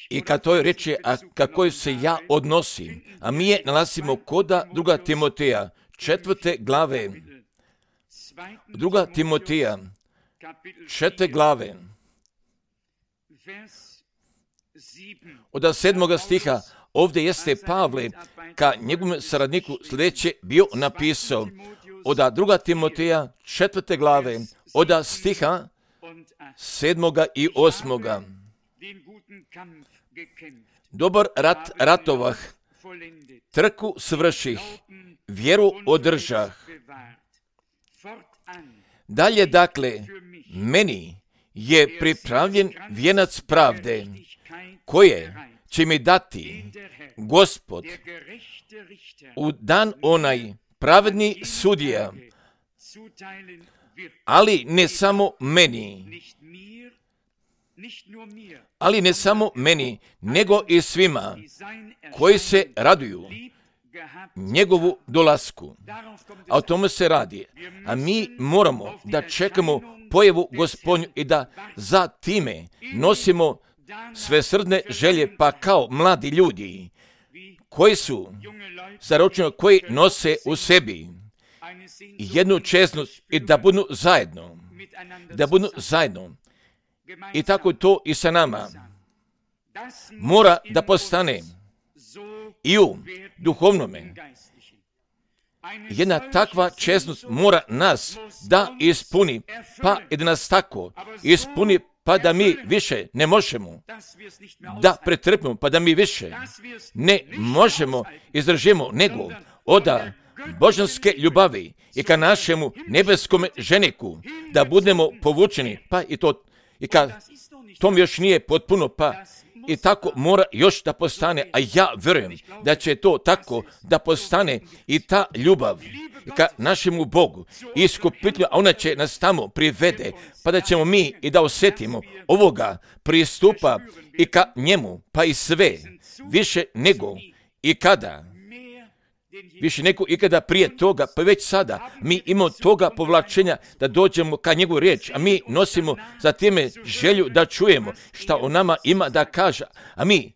I kad to reče, a kako se ja odnosim, a mi je nalazimo koda 2. Timoteja, 4. glave, 2. Timoteja, 4. glave, od 7. stiha, ovdje jeste Pavle, ka njegovom saradniku sljedeće bio napisao, od 2. Timoteja, 4. glave, od stiha 7. i 8. Dobar rat ratovah, trku svrših, vjeru održah. Dalje, dakle, meni je pripravljen vijenac pravde, koje će mi dati Gospod u dan onaj pravedni sudija, ali ne samo meni, nego i svima koji se raduju njegovu dolasku. A o tome se radi. A mi moramo da čekamo pojavu Gospodnju i da za time nosimo svesrdne želje, pa kao mladi ljudi koji su zaročeni, koji nose u sebi jednu čestnost i da budu zajedno. I tako to i sa nama mora da postane i u duhovnome. Jedna takva čestnost mora nas da ispuni, pa i da nas tako ispuni, pa da mi više ne možemo da pretrpimo, pa da mi više ne možemo izdržimo, nego od božanske ljubavi i ka našemu nebeskome ženiku da budemo povučeni, pa i to, i kad tom još nije potpuno, pa i tako mora još da postane, a ja vjerujem da će to tako da postane i ta ljubav ka našemu Bogu i iskupitelju, a ona će nas tamo privede, pa da ćemo mi i da osjetimo ovoga pristupa i ka njemu, pa i sve, više nego ikada prije toga, pa već sada mi imamo toga povlačenja da dođemo ka njegovu riječ, a mi nosimo za time želju da čujemo šta on nama ima da kaže, a mi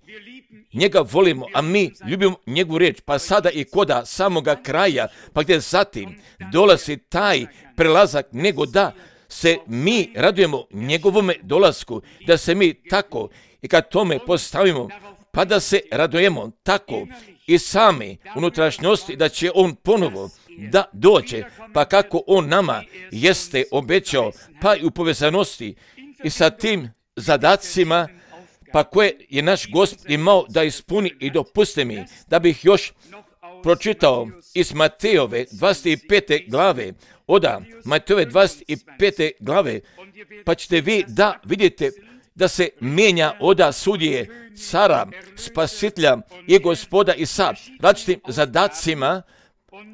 njega volimo, a mi ljubimo njegovu riječ, pa sada i koda samoga kraja, pa gdje zatim dolazi taj prelazak, nego da se mi radujemo njegovome dolasku, da se mi tako i kad tome postavimo, pa da se radujemo tako i sami unutrašnjosti da će on ponovo da dođe, pa kako on nama jeste obećao, pa i u povezanosti i sa tim zadacima, pa koje je naš Gospod imao da ispuni. I dopuste mi da bih još pročitao iz Matejove 25. glave, od Matejove 25. glave, pa ćete vi da vidite da se mijenja od sudije, cara, spasitelja i Gospoda i sa različitim zadacima,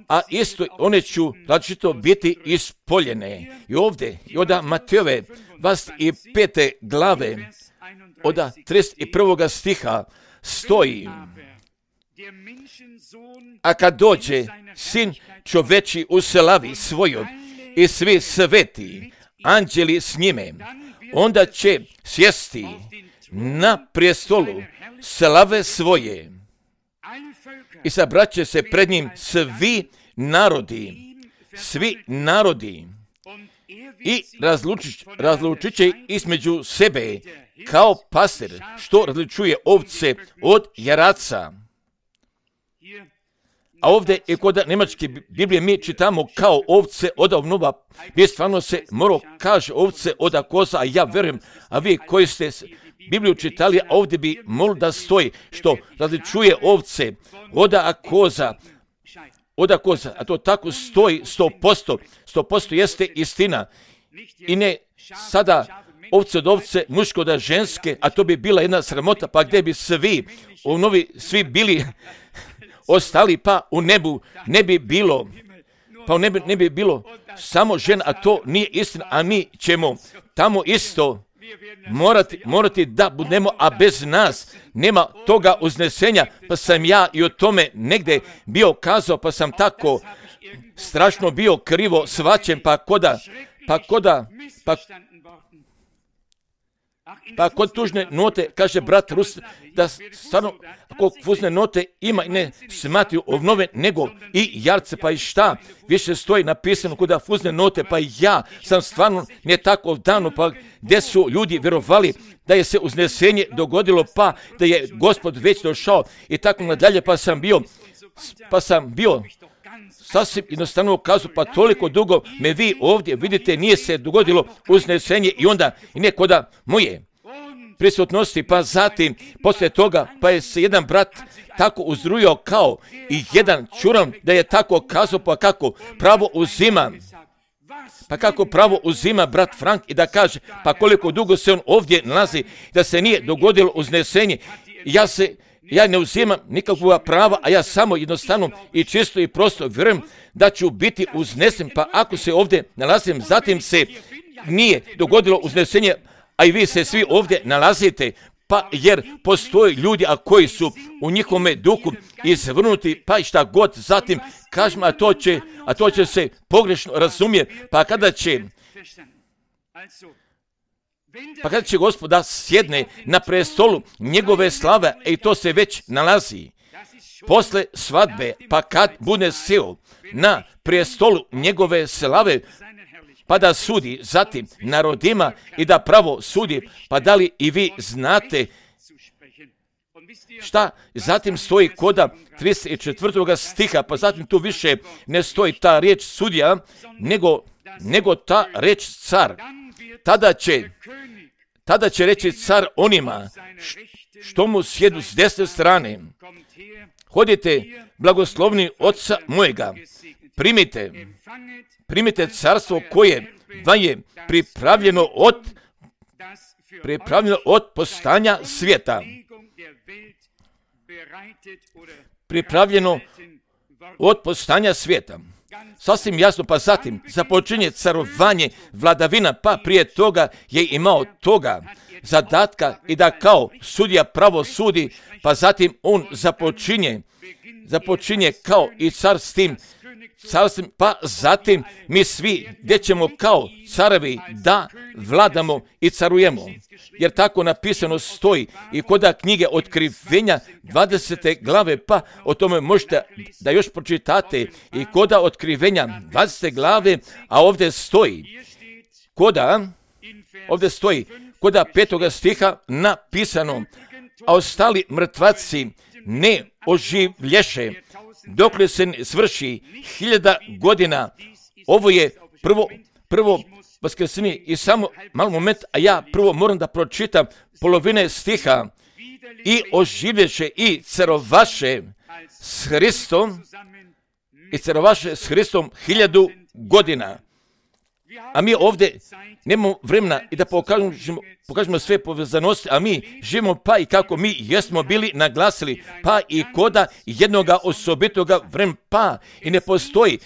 a isto one ću različito biti ispoljene. I ovdje, i od Matejove 25. glave, od 31. stiha stoji: a kad dođe sin čoveči u slavi svojoj i svi sveti anđeli s njime, onda će sjesti na prijestolu slave svoje i sabraće se pred njim svi narodi i razlučit će između sebe kao pastir što različuje ovce od jaraca. A ovdje i kod njemačke Biblije mi čitamo kao ovce od ovnova, gdje stvarno se moro kaže ovce od koza, a ja vjerujem, a vi koji ste Bibliju čitali, a ovdje bi molio da stoji što različuje ovce od koza, a to tako stoji 100% jeste istina. I ne sada ovce od ovce, muško od ženske, a to bi bila jedna sramota, pa gdje bi svi bili ostali, pa u nebu ne bi bilo, ne bi bilo samo žena, a to nije istina, a mi ćemo tamo isto morati da budemo, a bez nas nema toga uznesenja, pa sam ja i o tome negdje bio kazao, pa sam tako strašno bio krivo svaćen, Pa kod tužne note, kaže brat Rus, da stvarno, ako fuzne note ima i ne smatruju obnove, nego i jarce, pa i šta, više stoji napisano kod fuzne note, pa ja sam stvarno ne tako davno, pa gdje su ljudi vjerovali da je se uznesenje dogodilo, pa da je Gospod već došao i tako nadalje, pa sam bio sasvim jednostavno kazu, pa toliko dugo me vi ovdje vidite, nije se dogodilo uznesenje i onda i nekoda moje prisutnosti, pa zatim poslije toga pa je se jedan brat tako uzrujao kao i jedan čuran da je tako kazao, pa kako pravo uzima brat Frank i da kaže pa koliko dugo se on ovdje nalazi da se nije dogodilo uznesenje. Ja ne uzimam nikakvog prava, a ja samo jednostavno i čisto i prosto vjerujem da ću biti uznesen, pa ako se ovdje nalazim, zatim se nije dogodilo uznesenje, a i vi se svi ovdje nalazite, pa jer postoje ljudi a koji su u njihovome duhu izvrnuti, pa i šta god, zatim kažem, a to će se pogrešno razumjeti, pa kada će Gospod da sjedne na prestolu njegove slave, i to se već nalazi posle svadbe, pa kad bude sjeo na prestolu njegove slave, pa da sudi zatim narodima i da pravo sudi, pa da li i vi znate šta zatim stoji koda 34. stiha, pa zatim tu više ne stoji ta riječ sudija, nego ta riječ car. Tada će reći car onima što mu sjedu s desne strane: hodite blagoslovni oca mojega, primite carstvo koje vam je pripravljeno od postanja svijeta. Pripravljeno od postanja svijeta. Sasvim jasno, pa zatim započinje carovanje, vladavina, pa prije toga je imao toga zadatka i da kao sudija pravo sudi, pa zatim on započinje kao i car s tim carstvom, pa zatim mi svi gdje ćemo kao carevi da vladamo i carujemo. Jer tako napisano stoji i kod knjige Otkrivenja 20. glave, pa o tome možete da još pročitate i kod Otkrivenja 20. glave, a ovdje stoji kod 5. stiha napisano: a ostali mrtvaci ne oživlješe dokle se ne svrši 1000 godina. Ovo je prvo vaskrsenje i samo malo moment, a ja prvo moram da pročitam polovine stiha: i oživlješe i carovaše s Hristom 1000 godina. A mi ovdje nemamo vremena i da pokažemo sve povezanosti, a mi živimo pa i kako mi jesmo bili naglasili, pa i koda jednoga osobitoga vremena, pa i ne postoji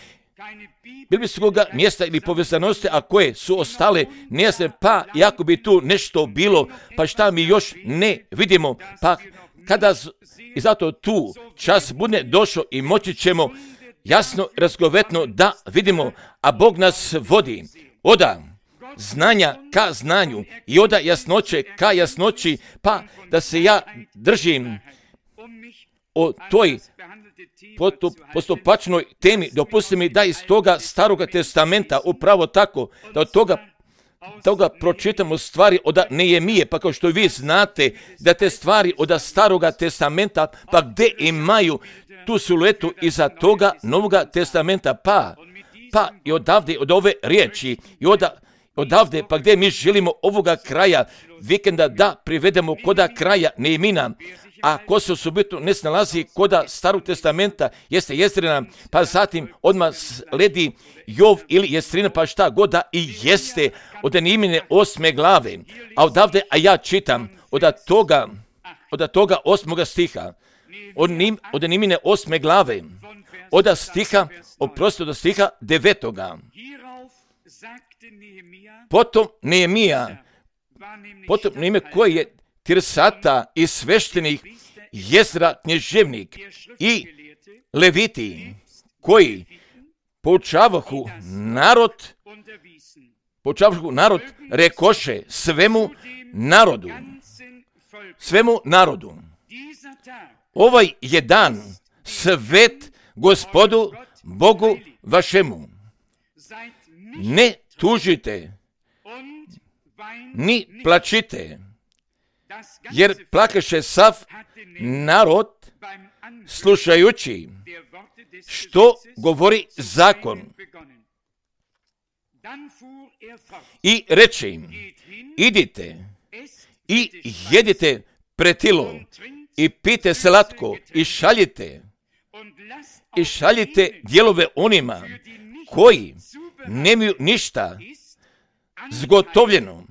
biblijskoga mjesta ili povezanosti, a koje su ostale nejasne, pa i ako bi tu nešto bilo, pa šta mi još ne vidimo, pa kada i zato tu čas bude došao i moći ćemo jasno, razgovetno da vidimo, a Bog nas vodi oda znanja ka znanju i oda jasnoće ka jasnoći, pa da se ja držim o toj postupačnoj temi. Dopusti mi da iz toga Staroga testamenta upravo tako, da od toga pročitamo stvari od Nehemije, pa kao što vi znate da te stvari od Staroga testamenta, pa gdje imaju tu siluetu iza toga Novoga testamenta, pa i odavde, od ove riječi i odavde, pa gdje mi želimo ovoga kraja vikenda da privedemo koda kraja Nehemina, a ko se osobito ne snalazi koda Starog testamenta jeste Jezrina, pa zatim odmah sledi Jov ili Jestrina, pa šta god da i jeste od Nehemine 8. glave, a odavde, a ja čitam od toga 8. stiha, od Nehemine 8. glave, od stiha 9. Potom Nehemija koji je Tirsata i sveštenik, Jezra knježevnik i Leviti koji poučavahu narod počavši narod rekoše svemu narodu. Ovaj je dan svet Gospodu Bogu vašemu. Ne tužite, ni plačite, jer plakaše sav narod slušajući što govori zakon. I reče im, idite i jedite pretilo i pijte slatko i šaljite dijelove onima koji nemaju ništa zgotovljeno,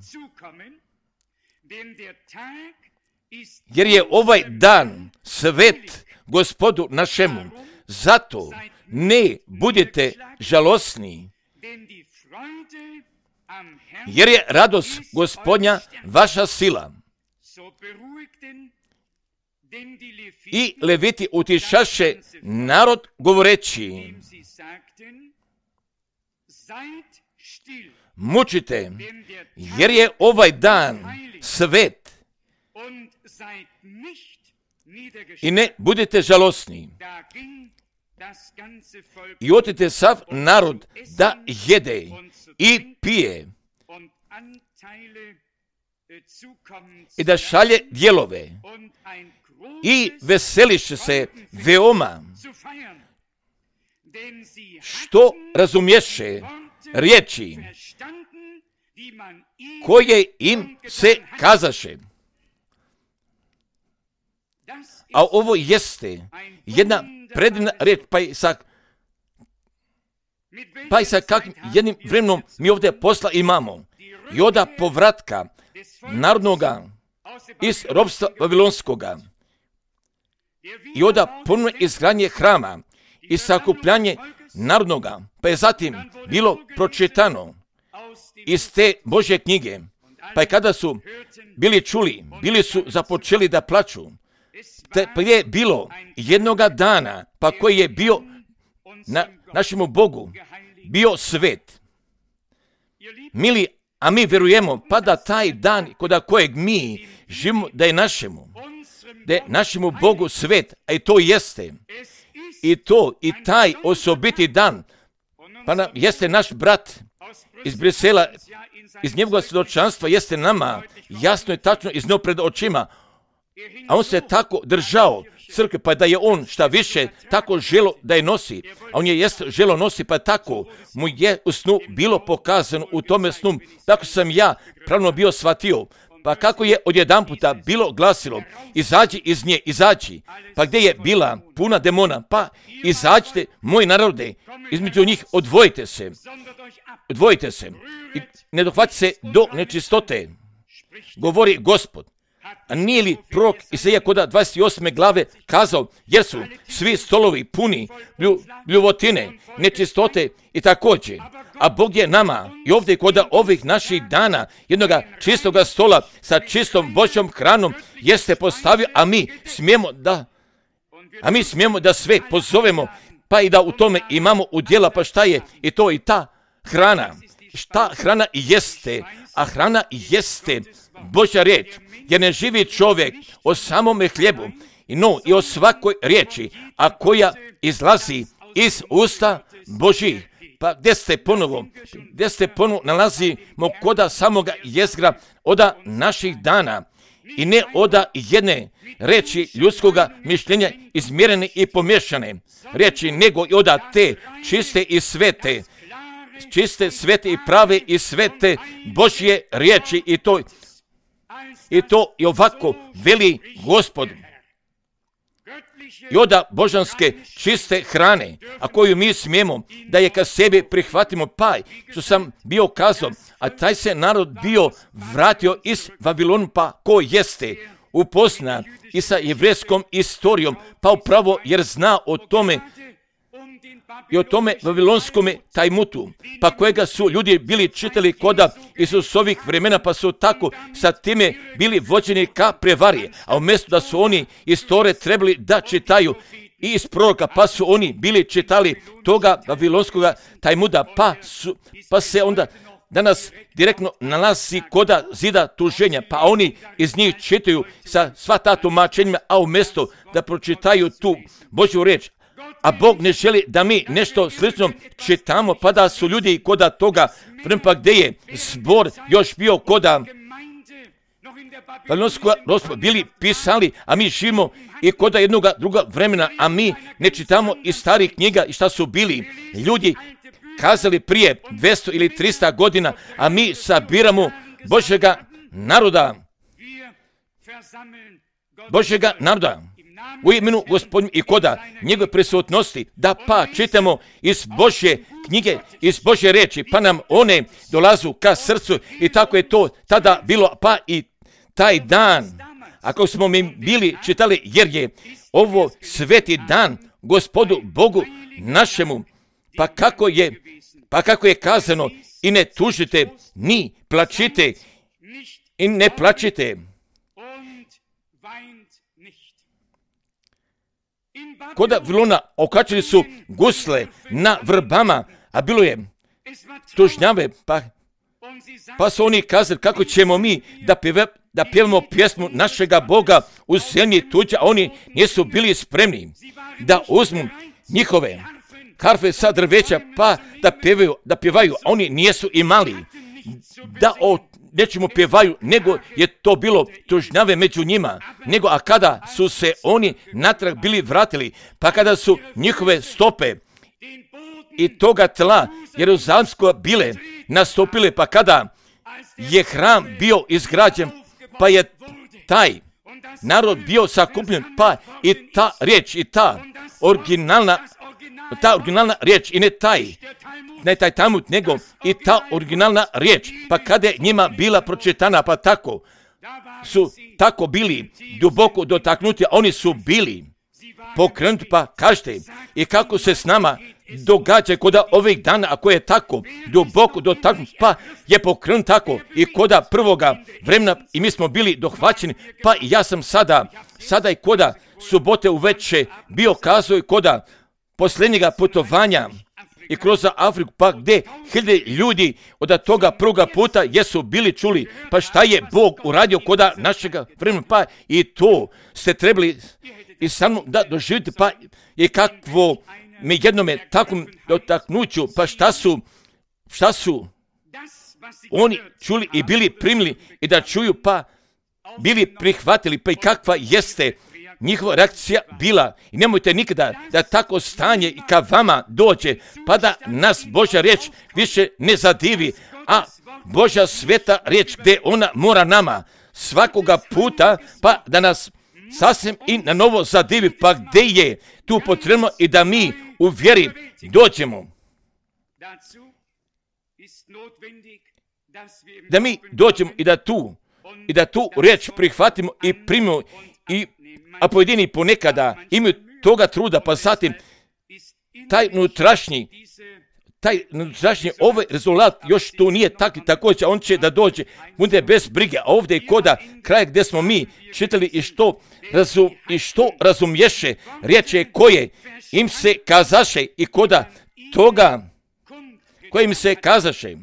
jer je ovaj dan svet Gospodu našemu. Zato ne budite žalosni, jer je radost Gospodnja vaša sila. I Leviti utišaše narod govoreći, mučite, jer je ovaj dan svet, i ne budete žalosni. I otite sav narod da jede i pije i da šalje dijelove i veseliše se veoma, što razumješe riječi koje im se kazaše. A ovo jeste jedna predivna riječ, pa i sa kakvim jednim vremenom mi ovdje posla imamo. I od povratka narodnoga iz ropstva Vavilonskoga i od ponovne izgradnje hrama i sakupljanje narodnoga, pa je zatim bilo pročitano iz te Božje knjige, pa je kada su bili čuli, bili su započeli da plaču. Pa je bilo jednoga dana, pa koji je bio na našemu Bogu, bio svet. Mili, a mi vjerujemo pa da taj dan kod kojeg mi živimo da je našemu Bogu svet, a i to jeste. I taj osobiti dan, pa nam jeste naš brat iz Brisela, iz njegovog svjedočanstva jeste nama jasno i tačno iznio pred očima. A on se tako držao crkve, pa da je on šta više tako želo da je nosi. A on je želo nosi, pa tako mu je u snu bilo pokazano u tome snu. Tako sam ja pravno bio shvatio. Pa kako je odjedanputa bilo glasilo, izađi iz nje, izađi. Pa gdje je bila puna demona, pa izađite, moji narode, između njih odvojite se i ne dohvati se do nečistote, govori Gospod. A nije li prorok Isaija kod 28. glave kazao, jer su svi stolovi puni bljuvotine, nečistote i također. A Bog je nama i ovdje kod ovih naših dana jednoga čistoga stola sa čistom Božjom hranom jeste postavio, a mi smijemo da sve pozovemo, pa i da u tome imamo udjela, pa šta je i to i ta hrana. Šta hrana jeste? A hrana jeste Božja riječ. Jer ne živi čovjek o samome hljebu, i o svakoj riječi, a koja izlazi iz usta Božjih. Pa gdje ste ponovo nalazimo koda samoga jezgra oda naših dana i ne oda jedne riječi ljudskoga mišljenja izmjerene i pomješane riječi, nego i oda te čiste i svete, svete i prave i svete Božje riječi i to i ovako veli Gospod. I oda božanske čiste hrane, a koju mi smijemo da je ka sebi prihvatimo, pa što sam bio kazao, a taj se narod bio vratio iz Vavilona, pa ko jeste upozna i sa jevrejskom istorijom, pa upravo jer zna o tome i o tome vavilonskome tajmutu, pa kojega su ljudi bili čitali koda Isusovih vremena, pa su tako sa time bili vođeni ka prevari, a umjesto da su oni iz Tore trebali da čitaju i iz proroka, pa su oni bili čitali toga vavilonskoga tajmuta, pa se onda danas direktno nalazi koda zida tuženja, pa oni iz njih čitaju sa sva ta tumačenja, a umjesto da pročitaju tu Božju riječ, a Bog ne želi da mi nešto slično čitamo, pa da su ljudi koda toga, pa gdje je zbor još bio koda bili pisali, a mi živimo i koda jednoga druga vremena, a mi ne čitamo iz starih knjiga i šta su bili ljudi kazali prije 200 ili 300 godina, a mi sabiramo Božjega naroda u imenu Gospodnju i koda njegove prisutnosti, da pa čitamo iz Božje knjige, iz Božje riječi, pa nam one dolazu ka srcu i tako je to tada bilo, pa i taj dan, ako smo mi bili čitali, jer je ovo sveti dan Gospodu Bogu našemu, pa kako je kazano, i ne tužite, ni plačite, i ne plačite. Koda Vilona okačili su gusle na vrbama, a bilo je tužnjave, pa su oni kazali kako ćemo mi da pjevamo pjesmu našega Boga u zemlji tuđa, a oni nisu bili spremni da uzmu njihove harfe sa drveća, pa da pjevaju, a oni nisu imali da o nečemu pjevaju, nego je to bilo tužnjave među njima, a kada su se oni natrag bili vratili, pa kada su njihove stope i toga tla Jeruzalemsko bile nastupile, pa kada je hram bio izgrađen, pa je taj narod bio sakupljen, pa i ta riječ i ta originalna riječ i ne taj Talmud, nego i ta originalna riječ, pa kada je njima bila pročitana, pa tako su tako bili duboko dotaknuti, a oni su bili pokrenuti, pa kažete, i kako se s nama događa koda ovih dana, ako je tako duboko dotaknut, pa je pokrenut tako i koda prvoga vremena i mi smo bili dohvaćeni, pa i ja sam sada i koda subote uveče bio kazao i koda posljednjega putovanja i kroz Afriku, pa gdje hiljade ljudi od toga prvoga puta jesu bili čuli, pa šta je Bog uradio koda našega vremena, pa i to ste trebali i sa mnom da doživite, pa i kakvo mi jednome takvom dotaknuću, pa šta su oni čuli i bili primili i da čuju, pa bili prihvatili, pa i kakva jeste njihova reakcija bila. I nemojte nikada da tako stanje i ka vama dođe, pa da nas Božja riječ više ne zadivi, a Božja sveta riječ gdje ona mora nama svakoga puta, pa da nas sasvim i na novo zadivi, pa gdje je tu potrebno i da mi u vjeri dođemo. Da mi dođemo i da tu riječ prihvatimo i primimo, a pojedini ponekada imaju toga truda, pa zatim taj unutrašnji ovaj rezultat još tu nije također, on će da dođe, bude bez brige, a ovdje je koda kraja gdje smo mi čitali i što razumješe riječi koje im se kazaše i koda toga koje im se kazaše,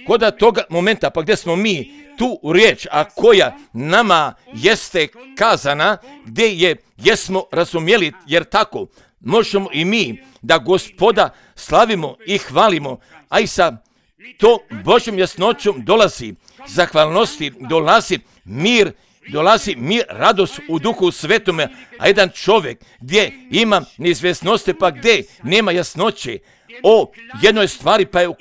koda toga momenta, pa gdje smo mi tu riječ, a koja nama jeste kazana, gdje jesmo razumjeli, jer tako možemo i mi da Gospoda slavimo i hvalimo, a i sa to Božjom jasnoćom dolazi zahvalnosti, dolazi mir, radost u Duhu Svetome, a jedan čovjek gdje ima neizvjesnosti, pa gdje nema jasnoće o jednoj stvari, pa je u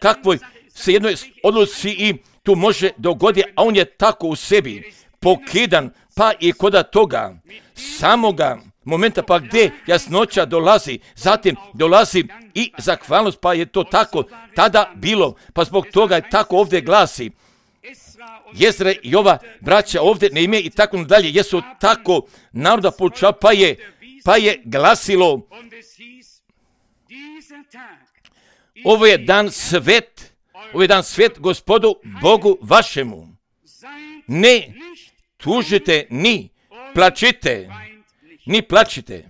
kakvoj se jednoj odluci i tu može dogoditi, a on je tako u sebi pokidan, pa i koda toga samoga momenta, pa gdje jasnoća dolazi, zatim dolazi i zahvalnost, pa je to tako tada bilo, pa zbog toga je tako ovdje glasi. Jezre i ova braća ovdje ne ime i tako dalje, jesu tako naroda poučava, pa je glasilo, ovo je dan svet Gospodu Bogu vašemu. Ne tužite ni plačite.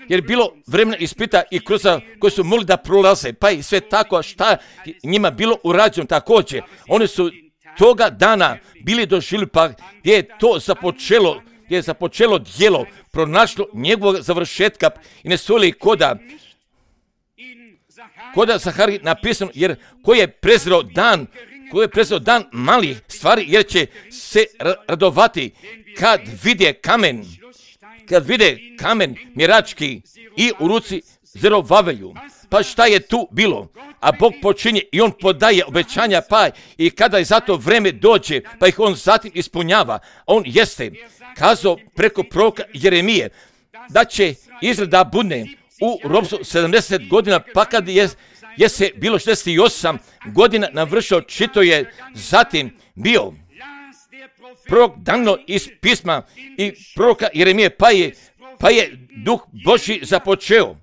jer bilo vremena ispita i kroz koji su mogli da prolaze, pa i sve tako šta njima bilo urađeno također. Oni su toga dana bili doživjeli, pa gdje je to započelo, gdje je započelo djelo, pronašlo njegovog završetka i ne stojili koda Zahariji napisano, jer koji je prezreo dan malih stvari, jer će se radovati kad vide kamen mjerački i u ruci Zerubabelovu. Pa šta je tu bilo? A Bog počinje i on podaje obećanja, pa i kada je za to vreme dođe, pa ih on zatim ispunjava. On jeste kazao preko proroka Jeremije da će Izrael da bude u ropstvu 70 godina, pa kad je se bilo 68 godina navršio, čito je zatim bio prorok Danilo iz pisma i proroka Jeremije, pa je Duh Božji započeo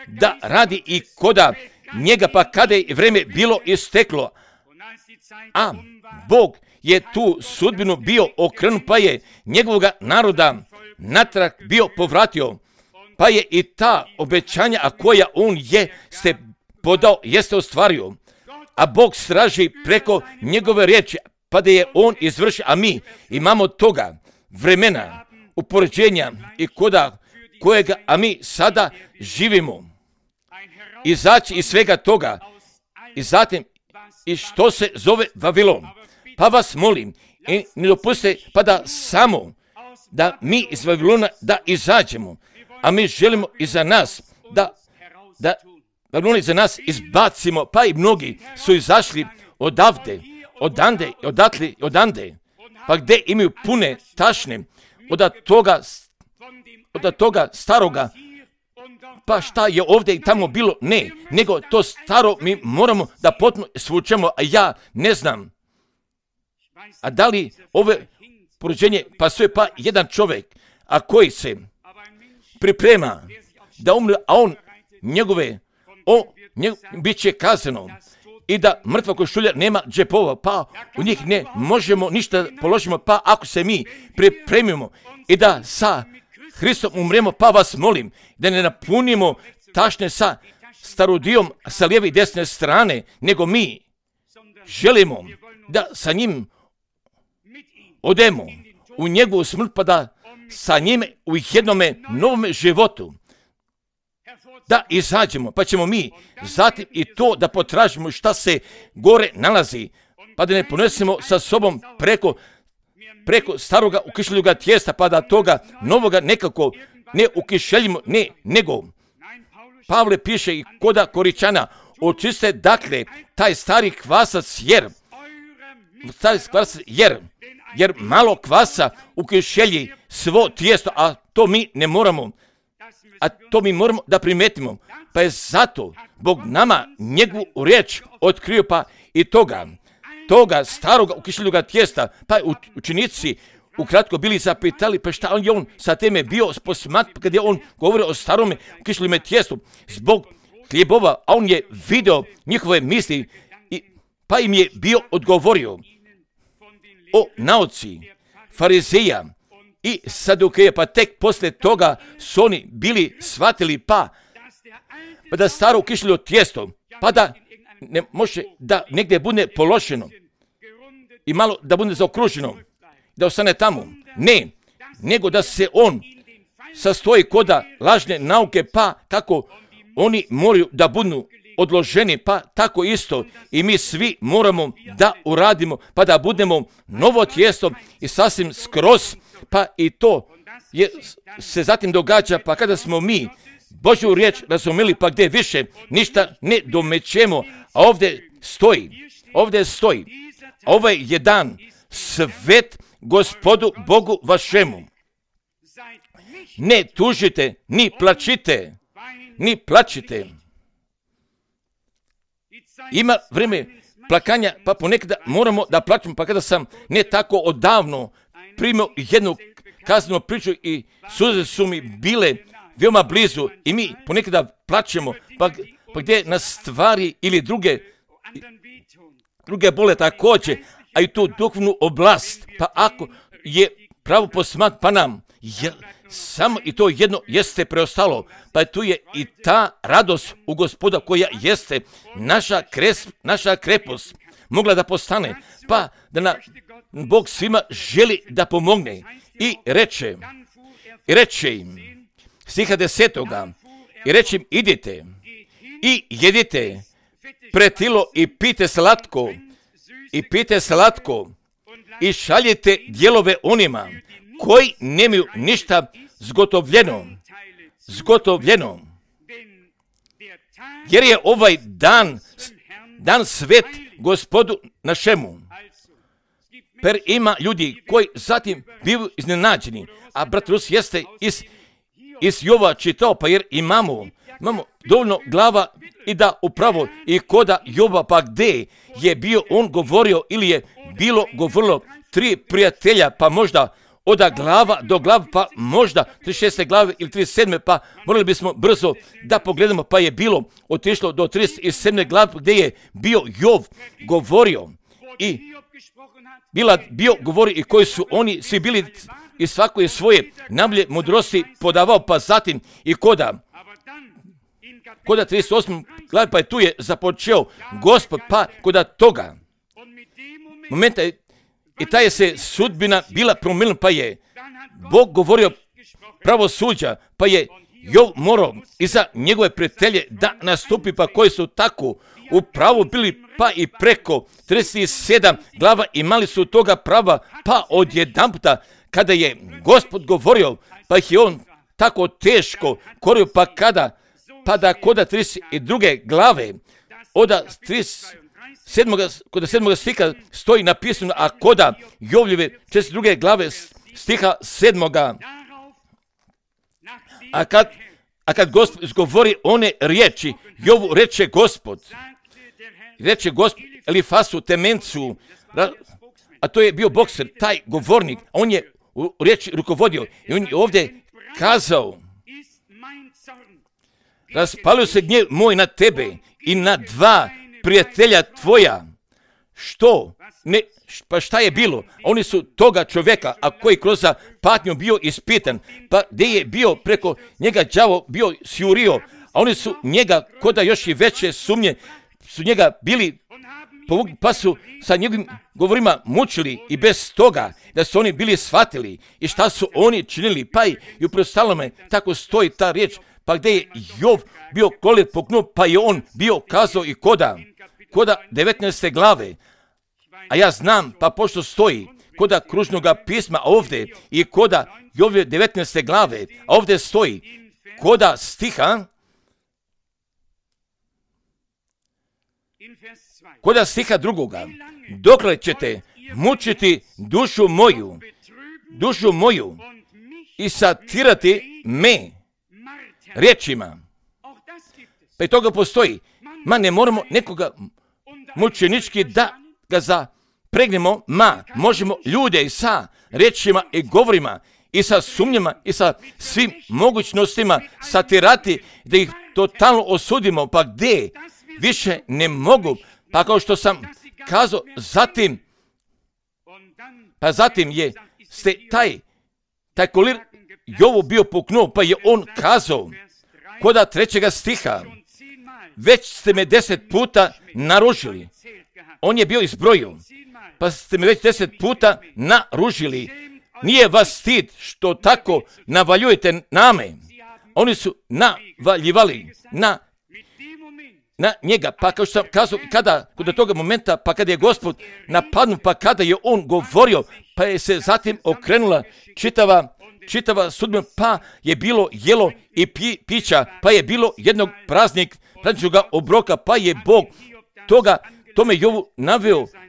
da radi i koda njega, pa kada je vreme bilo isteklo, a Bog je tu sudbinu bio okrenut, pa je njegovoga naroda natrag bio povratio, pa je i ta obećanja, a koja on jeste podao, jeste ostvario, a Bog straži preko njegove riječi, pa da je on izvršio, a mi imamo toga vremena, upoređenja i koda kojega, a mi sada živimo, izaći iz svega toga i zatim i što se zove Vavilon. Pa vas molim, i ne dopustite pa da samo da mi iz Vavilona da izađemo, a mi želimo i za nas da Vavilon za nas izbacimo, pa i mnogi su izašli odande, pa gdje imaju pune tašne od toga staroga, pa šta je ovdje i tamo bilo? Ne, nego to staro mi moramo da potpuno svučemo, a ja ne znam. A da li ove porođenje pasuje pa jedan čovjek, a koji se priprema da umre, a on bit će kazano i da mrtva košulja nema džepova, pa u njih ne možemo ništa položimo, pa ako se mi pripremimo i da sa Hristom umremo, pa vas molim da ne napunimo tašne sa starodijom sa lijeve i desne strane, nego mi želimo da sa njim odemo u njegovu smrt, pa da sa njime u jednome novome životu da izađemo, pa ćemo mi zatim i to da potražimo šta se gore nalazi, pa da ne ponesemo sa sobom preko staroga ukišljuga tijesta, pa da toga novoga nekako ne ukišeljimo, ne, nego Pavle piše i koda Koričana, očiste dakle taj stari kvasac jer malo kvasa ukišelji svo tijesto, a to mi ne moramo, a to mi moramo da primetimo, pa je zato Bog nama njegovu riječ otkrio, pa i toga staroga ukišljuga tijesta, pa učenici ukratko bili zapitali, pa šta on sa teme bio posmat, kad je on govorio o starome ukišljivome tijestu zbog hljebova, a on je video njihove misli, pa im je bio odgovorio o nauci farizeja i sadukeja, pa tek poslije toga su oni bili shvatili pa da staro ukišljivo tijesto, pa da ne može da negdje bude položeno i malo da bude zaokruženo, da ostane tamo. Ne, nego da se on sastoji koda lažne nauke, pa kako oni moraju da budu odloženi, pa tako isto i mi svi moramo da uradimo, pa da budemo novo tijesto i sasvim skroz, pa i to se zatim događa, pa kada smo mi Božju riječ razumeli, pa gdje više ništa ne domećemo, a ovdje stoji, ovaj je dan svet Gospodu Bogu vašemu. Ne tužite, ni plačite. Ima vrijeme plakanja, pa ponekada moramo da plačemo, pa kada sam ne tako odavno primio jednu kaznenu priču i suze su mi bile veoma blizu i mi ponekada plačemo, pa gdje nas stvari ili druge bole također, a i tu duhovnu oblast, pa ako je pravo posmat, pa nam samo i to jedno jeste preostalo, pa tu je i ta radost u Gospoda koja jeste naša krepost mogla da postane, pa da Bog svima želi da pomogne i reče im, stiha 10. i reče im, idite i jedite pretilo i pijte slatko i šaljite dijelove onima koji nemaju ništa zgotovljeno. Jer je ovaj dan svet Gospodu našemu. Per ima ljudi koji zatim bivaju iznenađeni, a brat Rus jeste iz Jova čitao, pa jer imamo dovoljno glava i da upravo i koda Jova, pa gdje je bio on govorio ili je bilo govorilo 3 prijatelja, pa možda od glava do glava, pa možda 36. glave ili 37. pa morali bismo brzo da pogledamo, pa je bilo otišlo do 37. glave gdje je bio Jov govorio i bio govori i koji su oni svi bili i svako je svoje najbolje mudrosti podavao, pa zatim i koda 38. glave, pa je tu je započeo Gospod, pa koda toga momenta i ta je se sudbina bila promijenila, pa je Bog govorio pravosuđa, pa je Jov morao iza njegove prijatelje da nastupi, pa koji su tako u pravu bili, pa i preko 37 glava imali su toga prava, pa odjedanputa kada je Gospod govorio, pa ih je on tako teško korio, pa da koda 32. glave, koda 7. stiha stoji napisano, a koda Jovljeve 42. glave stiha 7. A kad Gospod izgovori one riječi, Jovu reče Gospod Elifasu Temencu, a to je bio bokser, taj govornik, on je u riječi rukovodio i on je ovdje kazao, raspalio se gnjev moj na tebe i na 2 prijatelja tvoja. Pa šta je bilo? Oni su toga čovjeka, a koji kroz patnju bio ispitan, pa gdje je bio preko njega đavo bio sjurio, a oni su njega, koda još i veće sumnje, su njega bili povukli, pa su sa njegovim govorima mučili i bez toga da su oni bili shvatili i šta su oni činili, pa i u prostalome tako stoji ta riječ, pa gdje je Jov bio kolet poknuo, pa je on bio kazao i koda 19. glave, a ja znam, pa pošto stoji koda kružnoga pisma ovdje i koda Jove 19. glave, a ovdje stoji koda stiha 2. Dokle ćete mučiti dušu moju i satirati me riječima. Pa i toga postoji. Ne moramo nekoga mučenički da ga zapregnemo, možemo ljude sa riječima i govorima i sa sumnjama i sa svim mogućnostima satirati, da ih totalno osudimo, pa gdje više ne mogu, pa kao što sam kazao, zatim je taj kolir Jovu bio puknuo, pa je on kazao, koda 3. stiha, već ste me 10 puta naružili. On je bio izbrojio, pa ste me već 10 puta naružili. Nije vas stid što tako navaljujete name. Oni su navaljivali na njega, pa kao što sam kazao, kod toga momenta, pa kada je Gospod napadnu, pa kada je on govorio, pa je se zatim okrenula čitava sudbina, pa je bilo jelo i pića, pa je bilo jednog prazničnog obroka, pa je Bog tome Jovu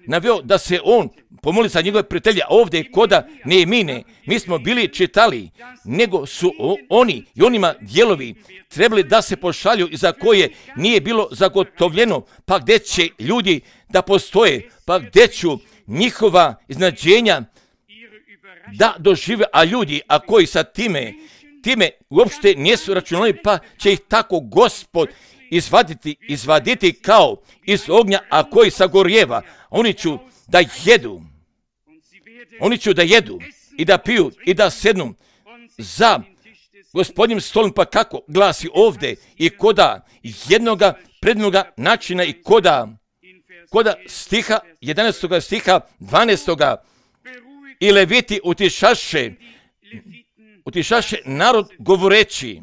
naveo da se on pomoli za njegove prijatelje, a ovdje koda Nehemije, mi smo bili čitali, nego su oni i onima dijelovi trebali da se pošalju i za koje nije bilo zagotovljeno, pa gdje će ljudi da postoje, pa gdje ću njihova iznađenja da dožive, a ljudi, a koji sa time uopšte nisu računali, pa će ih tako Gospod izvaditi kao iz ognja, a koji sagorjeva. Oni će da jedu i da piju i da sednu za Gospodnjim stolom, pa kako glasi ovdje, i koda jednoga prednoga načina i koda stiha, 11. stiha, 12. i Leviti utišaše narod govoreći,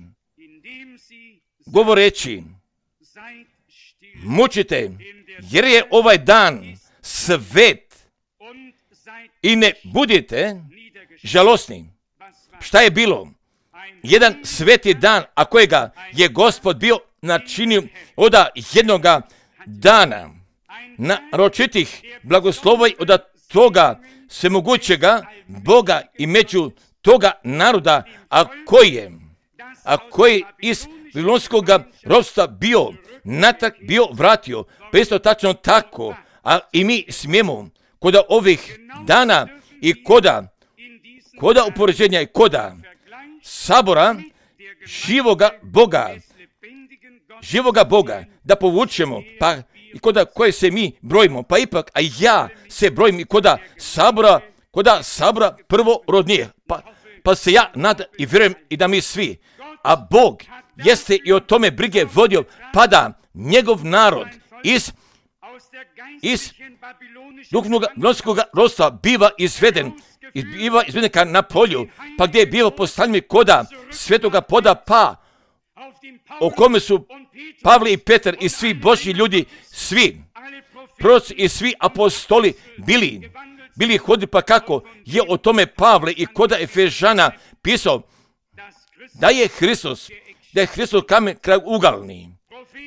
mučite, jer je ovaj dan svet i ne budite žalosni. Šta je bilo? Jedan sveti dan, a kojega je Gospod bio načinio od jednoga dana, naročitih blagoslova od toga svemogućega Boga i među toga naroda, a koji iz Babilonskog ropstva bio natrag bio vratio. Pa isto tačno tako, a i mi smijemo koda ovih dana i koda upoređenja i koda sabora živoga Boga da povučemo, pa i koda koje se mi brojimo, pa ipak, a ja se brojim i koda sabora prvorodnije, pa se ja nadam i vjerujem i da mi svi, a Bog jeste i o tome brige vodio, pa da njegov narod iz duhovnog babilonskog ropstva biva izveden ka na polju, pa gdje je bilo postavljeno koda svetoga poda, pa o kome su Pavle i Petar i svi Božji ljudi, svi proroci i svi apostoli bili hodili, pa kako je o tome Pavle i koda Efežana pisao da je Hristos kamen kragugalni.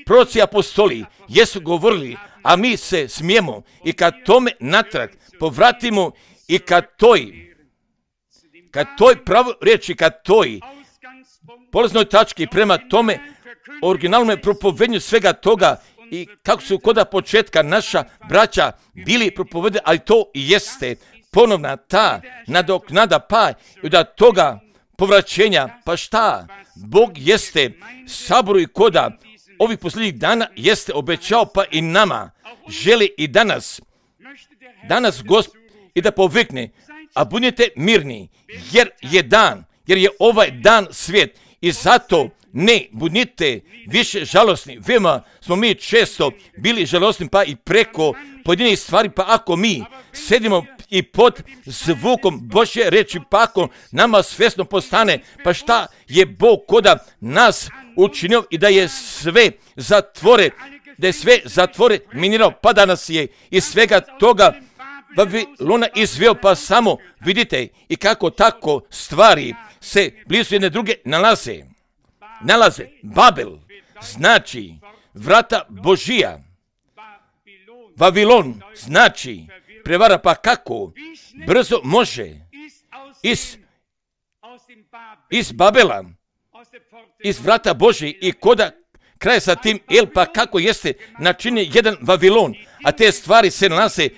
Proroci i apostoli jesu govorili, a mi se smijemo i kad tome natrag povratimo i kad toj pravo riječi, kad toj polaznoj tački prema tome originalnom propovednju svega toga i kako su koda početka naša braća bili propovedeni, ali to i jeste ponovna ta nadoknada, pa i od toga povraćenja, pa šta? Bog jeste saboru i koda ovih posljednjih dana jeste obećao, pa i nama želi i danas Gospod i da povikne, a budite mirni, jer je ovaj dan svijet i zato ne budite više žalosni. Veoma smo mi često bili žalosni, pa i preko pojedinih stvari, pa ako mi sedimo i pod zvukom Božje reči, pa ako nama svjesno postane, pa šta je Bog koda nas učinio i da je sve zatvore minirao, pa da nas je iz svega toga Babilona izveo, pa samo vidite i kako tako stvari se blizu jedne druge nalaze. Babel znači vrata Božija. Vavilon znači prevara, pa kako brzo može iz Babela, iz vrata Božije i koda kraj sa tim, pa kako jeste načinjen jedan Vavilon, a te stvari se nalaze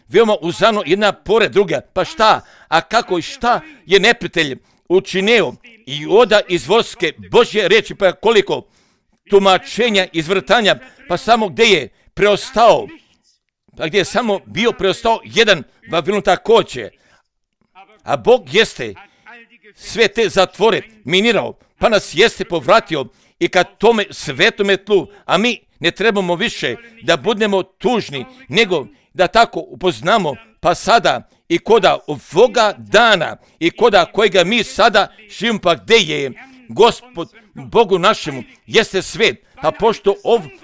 veoma uzano jedna pored druga, pa šta, a kako i šta je neprijatelj učinio i oda iz vojske Božje reči, pa koliko tumačenja, izvrtanja, pa samo gdje je preostao, pa gdje je samo bio preostao jedan Vavilon također, a Bog jeste sve te zatvore minirao, pa nas jeste povratio i kad tome svetome tlu, a mi ne trebamo više da budemo tužni, nego da tako upoznamo, pa sada i koda ovoga dana i koda kojega mi sada živimo, pa gdje je Gospod Bogu našemu jeste svet, a pošto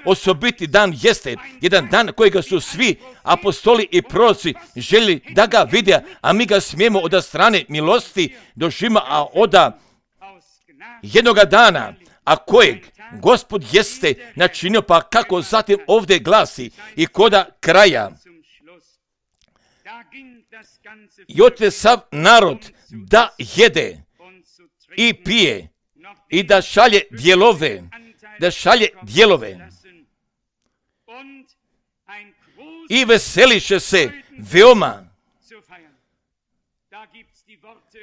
osobiti dan jeste jedan dan kojega su svi apostoli i proroci želi da ga vide, a mi ga smijemo od strane milosti doživimo, a od jednoga dana, a kojeg Gospod jeste načinio, pa kako zatim ovdje glasi i koda kraja. I ote sav narod da jede i pije i da šalje dijelove i veseliše se veoma.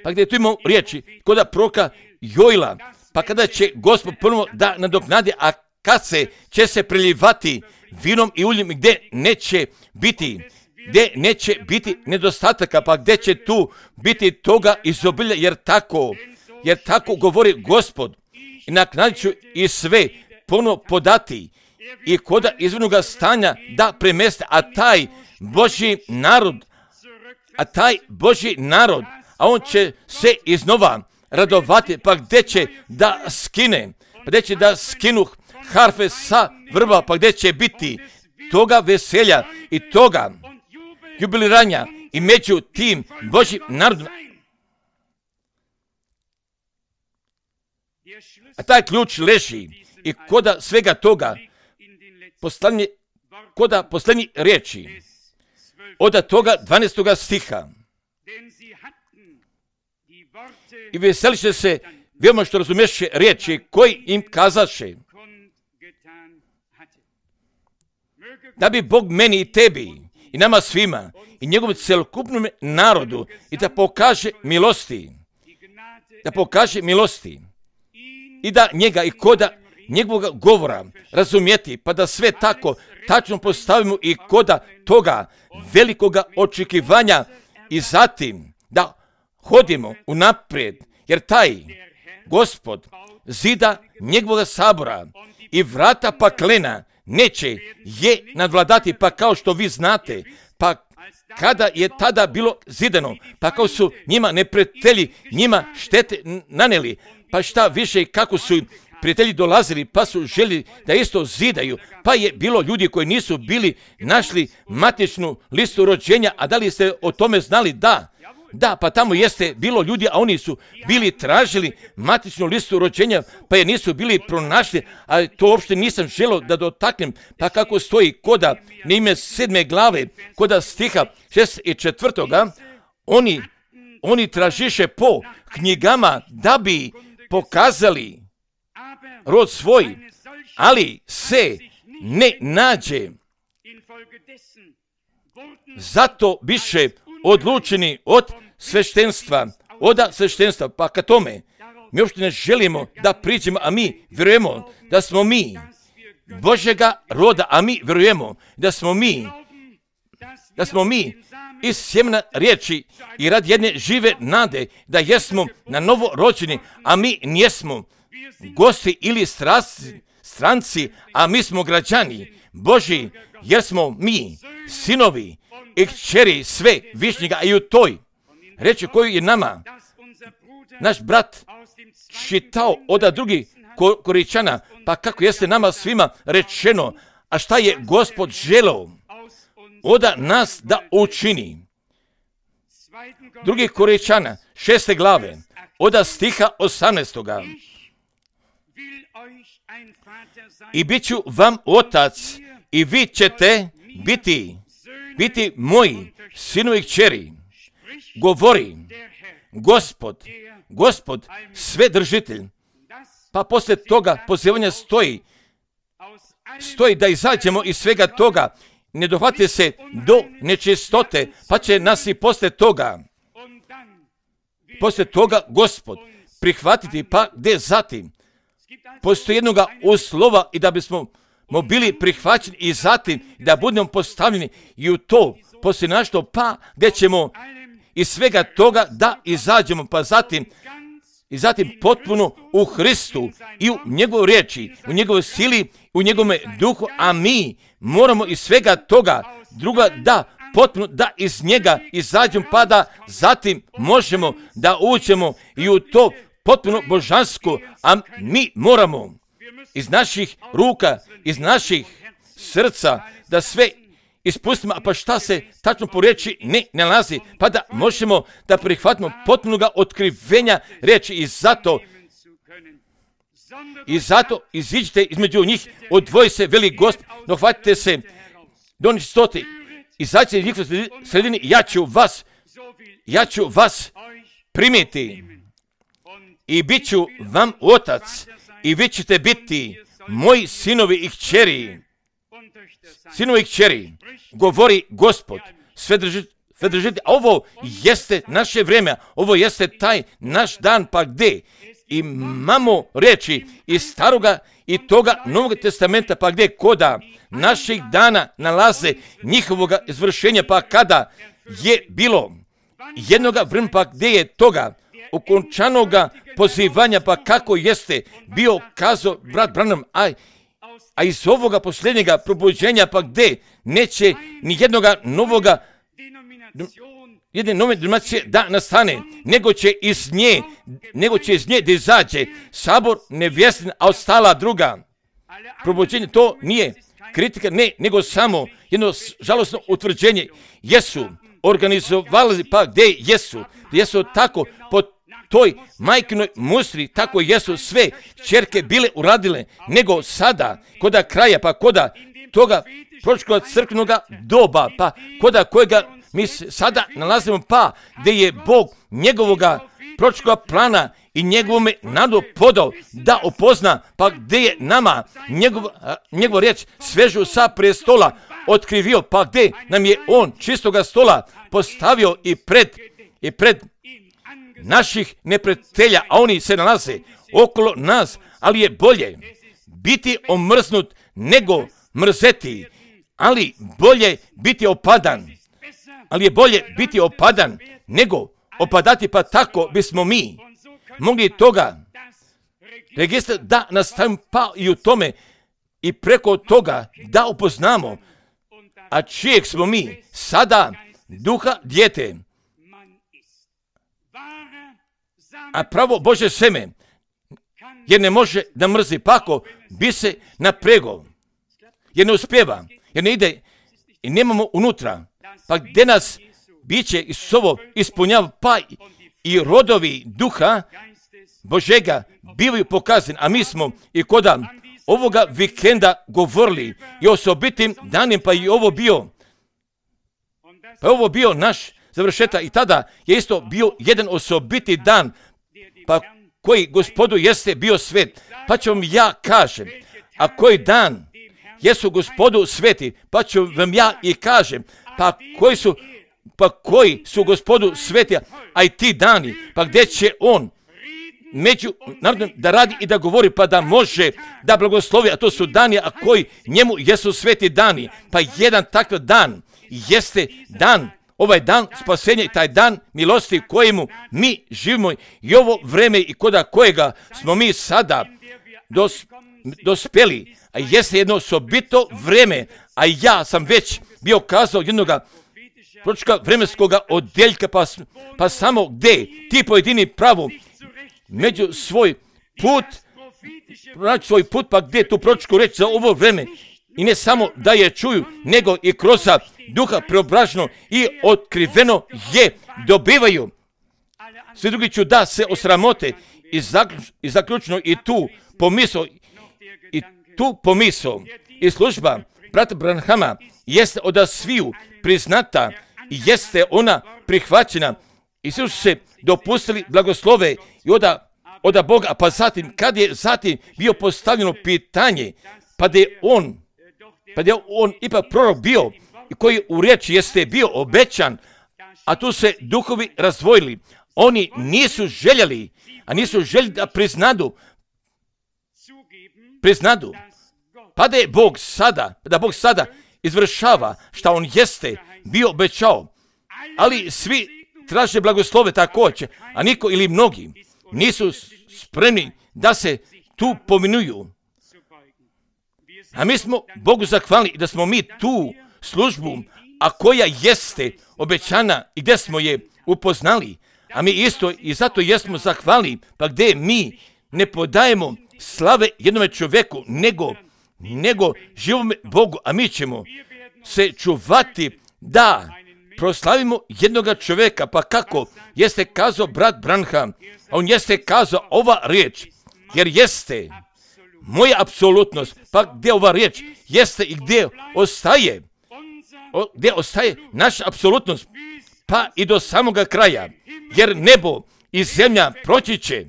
Pa gdje tu imamo riječi koda proroka Joila, pa kada će Gospod ponovo da nadoknadi, a kad će se prelijevati vinom i uljem, gdje neće biti nedostataka, pa gdje će tu biti toga izobilja, jer tako jer tako govori Gospod. I naknadit ću i sve ponovno podati i koda izvornoga stanja da premeste, a taj Božji narod, a on će se iznova radovati, pa gdje će da skine, pa gdje će da skinu harfe sa vrba, pa gdje će biti toga veselja i toga jubiliranja i među tim Božjim narodom. A taj ključ leži i koda svega toga koda posljednji riječi od toga 12. stiha. I veseliše se veoma što razumeše riječi koji im kazaše. Da bi Bog meni i tebi i nama svima i njegovom celokupnom narodu i da pokaže milosti i da njega i koda njegovog govora razumjeti, pa da sve tako tačno postavimo i koda toga velikoga očekivanja i zatim da hodimo unaprijed, jer taj Gospod zida njegovog sabora i vrata paklena neće je nadvladati, pa kao što vi znate, pa kada je tada bilo zidano, pa kao su njima neprijatelji njima štete naneli, pa šta više kako su prijatelji dolazili, pa su želi da isto zidaju, pa je bilo ljudi koji nisu bili našli matičnu listu rođenja, a da li ste o tome znali? Da, pa tamo jeste bilo ljudi, a oni su bili tražili matičnu listu rođenja, pa je nisu bili pronašli, a to uopšte nisam želio da dotaknem, pa kako stoji koda na ime 7. glave, koda stiha 64. Oni tražiše po knjigama da bi pokazali rod svoj, ali se ne nađe. Zato biše odlučeni od sveštenstva, pa ka tome mi uopšte ne želimo da priđemo, a mi vjerujemo da smo mi Božjega roda, a mi vjerujemo da smo mi iz sjemena riječi i rad jedne žive nade, da jesmo na novo rođeni, a mi nijesmo gosti ili stranci, a mi smo građani Božji, jer smo mi sinovi i kćeri sve višnjega, a i u toj reči koju je nama naš brat čitao od drugih Korinčana, pa kako jeste nama svima rečeno, a šta je Gospod želeo od nas da učini. Drugih Korinčana 6. glave od stiha 18. I bit ću vam otac i vi ćete biti moji sinovi i kćeri, govori Gospod svedržitelj. Pa poslije toga pozivanja stoji da izađemo iz svega toga, ne dohvate se do nečistote, pa će nas i poslije toga Gospod prihvatiti, pa gdje zatim postoji jednoga uslova i da bismo bili prihvaćeni i zatim da budemo postavljeni i u to poslije našto, pa gdje ćemo iz svega toga da izađemo, pa zatim potpuno u Hristu i u njegovoj riječi, u njegovoj sili, u njegovom duhu, a mi moramo iz svega toga druga da potpuno da iz njega izađemo, pa da zatim možemo da uđemo i u to potpuno božansko, a mi moramo iz naših ruka, iz naših srca da sve ispustimo, a pa šta se tačno po riječi ne nalazi, pa da možemo da prihvatimo potpunoga otkrivenja riječi i zato iziđite između njih, odvoji se veli Gospod, dohvatite se do nečistoti, izađite iz njihove sredini, ja ću vas primiti i bit ću vam otac i vi ćete biti moji sinovi i kćeri. Sinovi i kćeri, govori Gospod, svedržitelj. A ovo jeste naše vrijeme, ovo jeste taj naš dan, pa gdje imamo reči iz staroga i toga Novog testamenta, pa gdje koda naših dana nalaze njihovoga izvršenja, pa kada je bilo jednoga vremena, pa gdje je toga okončanoga pozivanja, pa kako jeste bio kazao brat Branham, a iz ovoga posljednjega probuđenja, pa gdje neće ni jednoga novoga, jedne nove denominacije da nastane, nego će iz nje da izađe sabor nevjestin, a ostala druga. Probuđenje to nije kritika, ne, nego samo jedno žalosno utvrđenje. Jesu organizovali, pa gdje jesu tako po toj majkinoj mustri, tako jesu sve ćerke bile uradile, nego sada, koda kraja, pa koda toga proročkoga crkvenoga doba, pa koda kojega mi sada nalazimo, pa gdje je Bog njegovoga proročkoga plana i njegovome narodu podao da opozna, pa gdje je nama njegov riječ svežu sa prestola otkrivio, pa gdje nam je on čistoga stola postavio i pred naših neprijatelja, a oni se nalaze okolo nas, ali je bolje biti omrznut nego mrzeti, ali bolje biti opadan, nego opadati, pa tako bismo mi mogli toga registra da nastavimo, pa i u tome i preko toga da upoznamo, a čijeg smo mi sada duha dijete, a pravo Bože seme, jer ne može da mrzi, pako bi se napregao, jer ne uspjeva, jer ne ide i nemamo unutra, pa gdje nas biće Isusovo ispunjava, pa i rodovi duha Božega bivaju pokazani, a mi smo i koda ovoga vikenda govorili i osobitim danim, pa i ovo bio naš završetak i tada je isto bio jedan osobiti dan, pa koji Gospodu jeste bio svet, pa ću vam ja kažem, a koji dan jesu Gospodu sveti, pa ću vam ja i kažem, pa koji su Gospodu sveti, a i ti dani, pa gdje će on među narodom da radi i da govori, pa da može da blagoslovi, a to su dani, a koji njemu jesu sveti dani, pa jedan takav dan jeste dan, ovaj dan spasenja i taj dan milosti kojemu mi živimo i ovo vreme i koda kojega smo mi sada dospeli, a jeste jedno osobito vreme, a ja sam već bio kazao jednoga proročka vremenskoga odjeljka, pa samo gdje ti pojedini pravo među svoj put, pa gdje tu proročku reč za ovo vreme i ne samo da je čuju, nego i kroz duha preobraženo i otkriveno je dobivaju. Svi drugi ću da se osramote i zaključno i tu pomisao i služba brata Branhama jeste od sviju priznata i jeste ona prihvaćena i svi su se dopustili blagoslove i od Boga, pa kad je bio postavljeno pitanje, pa da je on ipak prorok bio i koji u riječi jeste bio obećan, a tu se duhovi razdvojili. Oni nisu željeli da priznadu, pa da Bog sada izvršava šta on jeste bio obećao, ali svi traže blagoslove također, a niko ili mnogi nisu spremni da se tu pominuju. A mi smo Bogu zahvalni da smo mi tu službu, a koja jeste obećana i gdje smo je upoznali, a mi isto i zato jesmo zahvalni, pa gdje mi ne podajemo slave jednome čovjeku, nego živome Bogu, a mi ćemo se čuvati da proslavimo jednoga čovjeka, pa kako jeste kazao brat Branham, a on jeste kazao ova riječ, jer jeste moja apsolutnost, pa gdje ova riječ jeste i gdje ostaje naša apsolutnost, pa i do samoga kraja, jer nebo i zemlja proći će,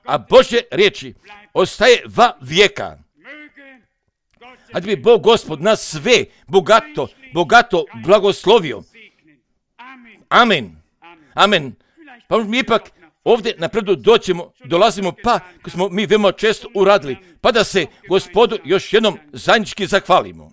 a Božje riječi ostaje va vijeka. A da bi Bog Gospod nas sve bogato blagoslovio. Amen. Amen. Pa mi ipak ovdje napredu dolazimo, pa ko smo mi veoma često uradili, pa da se Gospodu još jednom zajednički zahvalimo.